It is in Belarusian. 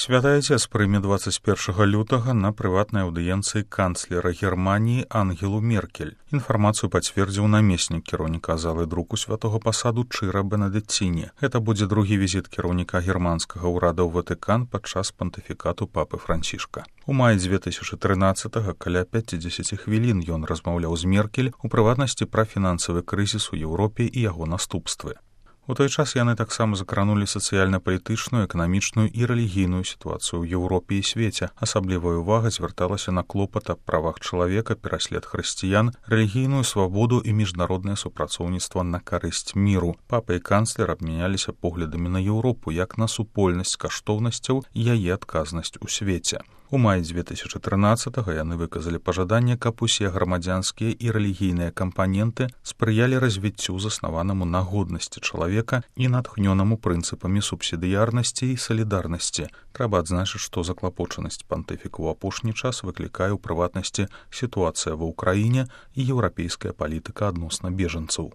Святы Отец прыме 21 лютага на прыватнай аўдыенцыі канцлера Германіі Ангелу Меркель. Інфармацыю пацвердзіў намеснік кіраўніка залы друку святого пасаду Чыра Бенедыцціне. Гэта будзе другі візіт кіраўніка германскага ўрада ў Ватыкан падчас пантыфікату папы Францішка. У маі 2013-го каля 50 хвілін ён размаўляў з Меркель, у прыватнасці пра фінансавы крызіс у Еўропе і яго наступствы. У той час яны таксама закранулі сацыяльна-палітычную, эканамічную і рэлігійную сітуацыю ў Еўропе і свеце. Асаблівая ўвага звярталася на клопат аб правах чалавека, пераслед хрысціян, рэлігійную свабоду і міжнароднае супрацоўніцтва на карысць міру. Папа і канцлер абмяняліся поглядамі на Еўропу як на супольнасць каштоўнасцяў і яе адказнасць у свеце. У маі 2013-го яны выказалі пажаданне, каб усе грамадзянскія і рэлігійныя кампаненты спрыялі развіццю, заснаванаму на годнасці чалавека і натхнёнаму прынцыпамі субсідыярнасці і салідарнасці. Трэба адзначыць, што заклапочанасць пантыфіка ў апошні час выклікае ў прыватнасці сітуацыя ва ўкраіне і еўрапейская палітыка адносна бежанцаў.